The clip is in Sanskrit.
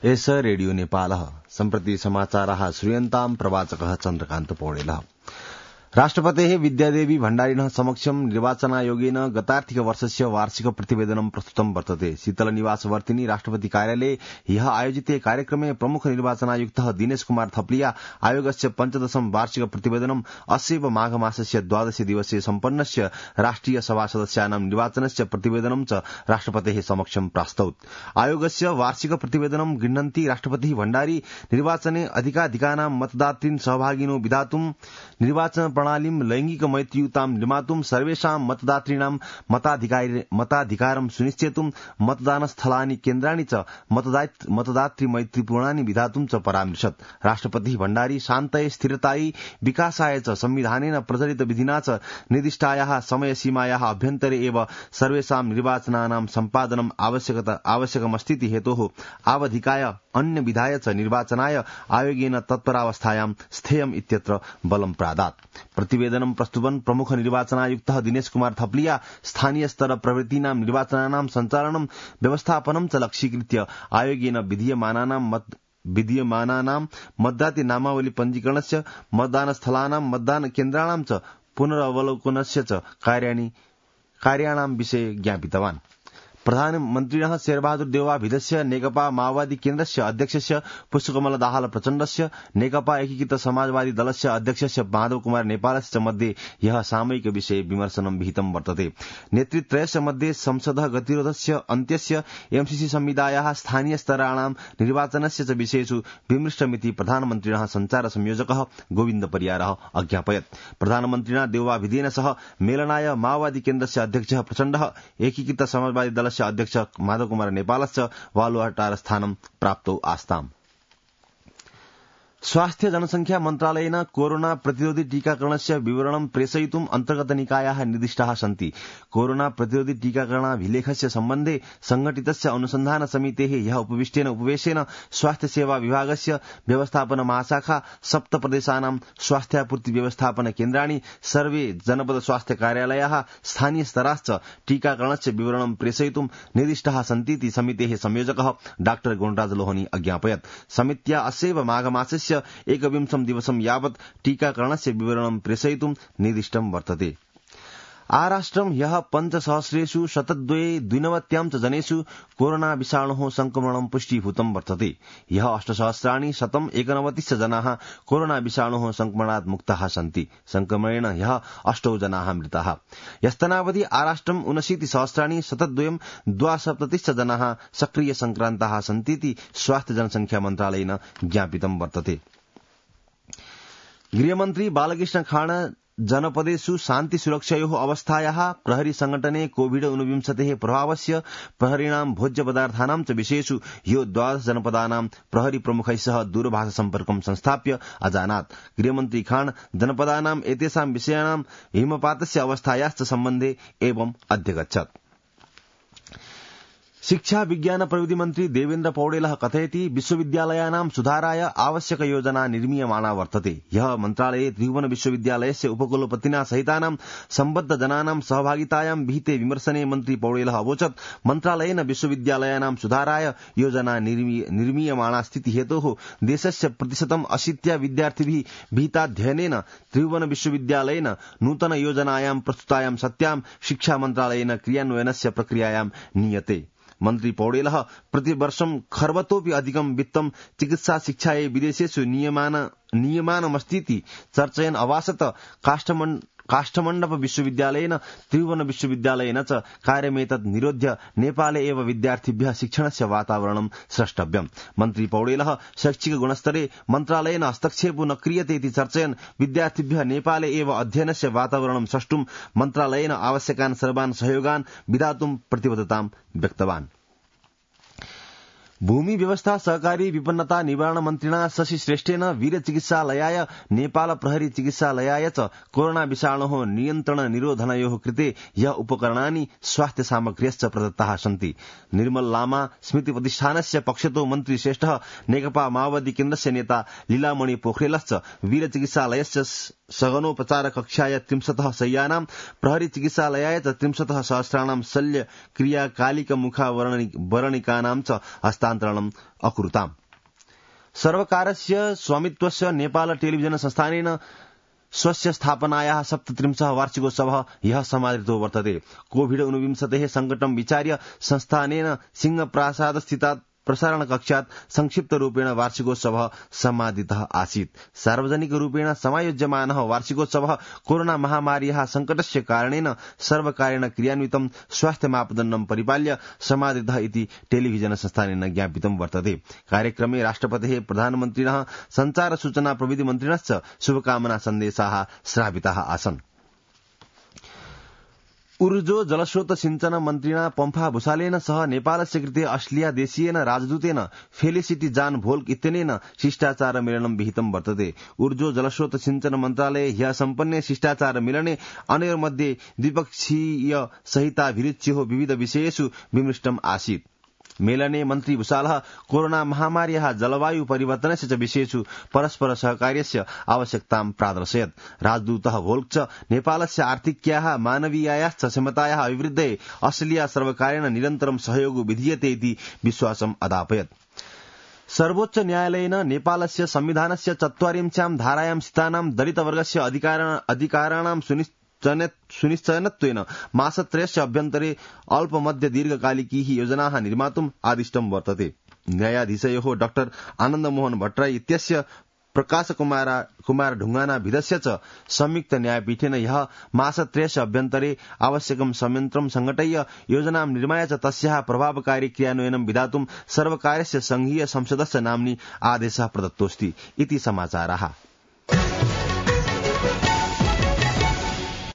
एष रेडियो नेपालः सम्प्रति समाचाराः श्रूयन्ताम् प्रवाचकः चन्द्रकान्त पौडेलः। राष्ट्रपतेः विद्यादेवी भण्डारिणः समक्षं निर्वाचनायोगेन गतार्थिक वर्षस्य वार्षिक प्रतिवेदनं प्रस्तुतं वर्तते। शीतलनिवासवर्तिनी राष्ट्रपति कार्यालये ह्यः आयोजिते कार्यक्रमे प्रमुख निर्वाचनायुक्तः दिनेश कुमार थप्लिया आयोगस्य 15 वार्षिक प्रतिवेदनं अस्यैव माघमासस्य 12 दिवसे सम्पन्नस्य राष्ट्रिय सभा सदस्यानां निर्वाचनस्य प्रतिवेदनं च राष्ट्रपतेः समक्षं प्रास्तौत्। आयोगस्य वार्षिक प्रतिवेदनं गृह्णन्ति राष्ट्रपतिः भण्डारी निर्वाचने अधिकाधिकानां मतदातृन् सहभागिनो विधातुं निर्वाचन प्रणालीं लैंगिक मैत्रीयुतां निर्मातुं सर्वेषां मतदातॄणां मताधिकारं सुनिश्चेतुं मतदानस्थलानि केन्द्राणि च मतदातृ मैत्रीपूर्णानि विधातुं च परामृशत्। राष्ट्रपतिः भण्डारी शान्तये स्थिरतायै विकासाय च संविधानेन प्रचलित विधिना च निर्दिष्टायाः समयसीमायाः अभ्यन्तरे एव सर्वेषां निर्वाचनानां सम्पादनम् आवश्यकमस्तीति हेतोः आवधिकाय अन्य विधाय च निर्वाचनाय आयोगेन तत्परावस्थायां स्थेयम् इत्यत्र बलं प्रादात्। प्रतिवेदनं प्रस्तुतन् प्रमुख निर्वाचनायुक्तः दिनेश कुमार थप्लिया स्थानीय स्तर प्रवृत्तीनां निर्वाचनानां सञ्चालनं व्यवस्थापनं च लक्ष्यीकृत्य आयोगेन विधीयमानानां मतदातृ नामावली पञ्जीकरणस्य मतदानस्थलानां मतदान केन्द्राणां च पुनरवलोकनस्य च कार्याणां विषये ज्ञापितवान्। प्रधानमन्त्रिणः शेरबहादुर देउवाभिधस्य नेकपा माओवादी केन्द्रस्य अध्यक्षस्य पुष्पकमल दाहाल प्रचण्डस्य नेकपा एकीकृत समाजवादी दलस्य अध्यक्षस्य माधव कुमार नेपालस्य मध्ये ह्यः सामयिक विषये विमर्शनं विहितं वर्तते। नेतृत्रयस्य मध्ये संसदः गतिरोधस्य अन्त्यस्य एमसीसी संविदायाः स्थानीय स्तराणां निर्वाचनस्य च विषयेषु विमृष्टमिति प्रधानमन्त्रिणः सञ्चार संयोजकः गोविन्द परियारः अज्ञापयत्। प्रधानमन्त्रिणा देउवाभिधेन सह मेलनाय माओवादी केन्द्रस्य अध्यक्षः प्रचण्डः एकीकृत समाजवादी दलस्य अध्यक्ष माधव कुमार नेपालश्च वालुवाटार स्थानं प्राप्तौ आस्ताम्। स्वास्थ्य जनसंख्या मन्त्रालयेन कोरोना प्रतिरोधी टीकाकरणस्य विवरणं प्रेषयितुम् अन्तर्गत निकायाः निर्दिष्टाः सन्ति। कोरोना प्रतिरोधी टीकाकरणाभिलेखस्य सम्बन्धे संघटितस्य अनुसन्धान समितेः ह्यः उपविष्टेन उपवेशेन स्वास्थ्य सेवा विभागस्य व्यवस्थापन महाशाखा 7 प्रदेशानां स्वास्थ्यापूर्ति व्यवस्थापन केन्द्राणि सर्वे जनपद स्वास्थ्य कार्यालयाः स्थानीय स्तराश्च टीकाकरणस्य विवरणं प्रेषयितुं निर्दिष्टाः सन्तीति समितेः संयोजकः डाक्टर गुणराज लोहनी अज्ञापयत्। समित्या अस्यैव माघमासस्य 21 दिवसं यावत् टीकाकरणस्य विवरणं प्रेषयितुं निर्दिष्टं वर्तते। आराष्ट्रं ह्यः 5,000 शतद्वयं च जनेषु कोरोना विषाणोः संक्रमणं पुष्टीभूतं वर्तते। ह्यः 8,191 जनाः कोरोना विषाणोः संक्रमणात् मुक्ताः सन्ति। संक्रमणेन ह्यः 8 जनाः मृताः। ह्यस्तनावधि आराष्ट्रं 79,172 जनाः सक्रिय संक्रान्ताः सन्तीति स्वास्थ्य जनसंख्या मन्त्रालयेन ज्ञापितं वर्तते। गृहमन्त्री बालकृष्ण खाण जनपदेषु शान्ति सुरक्षायोः अवस्थायाः प्रहरी संघटने कोविड-19 प्रभावस्य प्रहरीणां भोज्य पदार्थानां च विषयेषु ह्यो 12 जनपदानां प्रहरी प्रमुखैः सह दूरभाष सम्पर्कं संस्थाप्य अजानात्। गृहमन्त्री खान जनपदानां एतेषां विषयाणां हिमपातस्य अवस्थायाश्च सम्बन्धे एवं अध्यगच्छत्। शिक्षा विज्ञान प्रविधि मन्त्री देवेन्द्र पौडेलः कथयति विश्वविद्यालयानां सुधाराय आवश्यक योजना निर्मीयमाणा वर्तते। ह्यः मन्त्रालये त्रिभुवन विश्वविद्यालयस्य उपकुलपतिना सहितानां सम्बद्ध जनानां सहभागितायां विहिते विमर्शने मन्त्री पौडेलः अवोचत् मन्त्रालयेन विश्वविद्यालयानां सुधाराय योजना निर्मीयमाणा स्थिति हेतोः देशस्य 80% विद्यार्थिभिः विहिताध्ययनेन त्रिभुवन विश्वविद्यालयेन नूतन योजनायां प्रस्तुतायां सत्यां शिक्षा मन्त्रालयेन क्रियान्वयनस्य प्रक्रियायां नीयते। मन्त्री पौडेलः प्रतिवर्षं खर्वतोऽपि अधिकं वित्तं चिकित्सा शिक्षायै विदेशेषु नियमानमस्तीति चर्चयन् अभासत काष्ठमण्डप विश्वविद्यालयेन त्रिभुवन विश्वविद्यालयेन च कार्यमेतत् निरोध्य नेपाले एव विद्यार्थिभ्यः शिक्षणस्य वातावरणं स्रष्टव्यम्। मन्त्री पौडेलः शैक्षिक गुणस्तरे मन्त्रालयेन हस्तक्षेपो न क्रियते इति चर्चयन् विद्यार्थिभ्यः नेपाले एव अध्ययनस्य वातावरणं सृष्टुं मन्त्रालयेन आवश्यकान् सर्वान् सहयोगान् विधातुं प्रतिबद्धतां व्यक्तवान्। भूमि व्यवस्था सहकारी विपन्नता निवारण मन्त्रिणा शशि श्रेष्ठेन वीर चिकित्सालयाय नेपाल प्रहरी चिकित्सालयाय च कोरोना विषाणोः नियन्त्रण निरोधनयोः कृते यः उपकरणानि स्वास्थ्य सामग्र्यश्च प्रदत्ताः सन्ति। निर्मल लामा स्मृति प्रतिष्ठानस्य पक्षतो मन्त्री श्रेष्ठः नेकपा माओवादी केन्द्रस्य नेता लीलामणि पोखरेलश्च वीर चिकित्सालयस्य सघनोपचार कक्षाय 30 शय्यानां प्रहरी चिकित्सालयाय च 30 सहस्राणां शल्य क्रियाकालिक मुखावरणिकानां च हस्तान्तरणम् अकुरुताम्। सर्वकारस्य स्वामित्वस्य नेपाल टेलिभिजन संस्थानेन स्वस्य स्थापनायाः 37 वार्षिकोत्सवः ह्यः समादृतो वर्तते। कोविड-19 संकटं विचार्य संस्थानेन सिंहप्रासादस्थितात् प्रसारणकक्षात् संक्षिप्तरूपेण वार्षिकोत्सवः समादितः आसीत्। सार्वजनिकरूपेण समायोज्यमानः वार्षिकोत्सवः कोरोना महामार्याः संकटस्य कारणेन सर्वकारेण क्रियान्वितं स्वास्थ्य मापदण्डं परिपाल्य समादितः इति टेलिभिजन संस्थानेन ज्ञापितं वर्तते। कार्यक्रमे राष्ट्रपतेः, प्रधानमन्त्रिणः, सञ्चार सूचना प्रविधि मन्त्रिणश्च शुभकामना सन्देशाः श्राविताः आसन्। ऊर्जो जलस्रोत सिंचन मन्त्रिणा पम्फा भूषालेन सह नेपालस्य कृते अस्ट्रेलिया देशीयेन राजदूतेन फेलिसिटी जान भोल्क इत्यनेन शिष्टाचार मेलनं विहितं वर्तते। ऊर्जो जलस्रोत सिंचन मन्त्रालये ह्यः सम्पन्ने शिष्टाचार मेलने अनयोर्मध्ये द्विपक्षीय सहिताभिरुच्योः विविध विषयेषु विमृष्टम् आसीत्। मेलने मन्त्री भूषालः कोरोना महामार्याः जलवायु परिवर्तनस्य च विषयेषु परस्पर सहकार्यस्य आवश्यकतां प्रादर्शयत्। राजदूतः भोल्क च नेपालस्य आर्थिक्याः, मानवीयायाश्च क्षमतायाः अभिवृद्धये अस्ट्रेलिया सर्वकारेण निरन्तरं सहयोगो विधीयते इति विश्वासम् अदापयत्। सर्वोच्च न्यायालयेन नेपालस्य संविधानस्य ४४ धारायां स्थितानां दलितवर्गस्य अधिकाराणां सुनिश्चयनत्वेन मासत्रयस्य अभ्यन्तरे अल्पमध्य दीर्घकालिकीः योजनाः निर्मातुम् आदिष्टं वर्तते। न्यायाधीशयोः डाक्टर आनन्दमोहन भट्टराई इत्यस्य प्रकाशकुमार ढुङ्गाना भिदस्य च संयुक्त न्यायपीठेन ह्यः मासत्रयस्य अभ्यन्तरे आवश्यकं संयन्त्रं संघटय्य योजनां निर्माय च तस्याः प्रभावकारी क्रियान्वयनं विधातुं सर्वकारस्य संघीय संसदस्य नाम्नि आदेशः प्रदत्तोऽस्ति इति समाचाराः।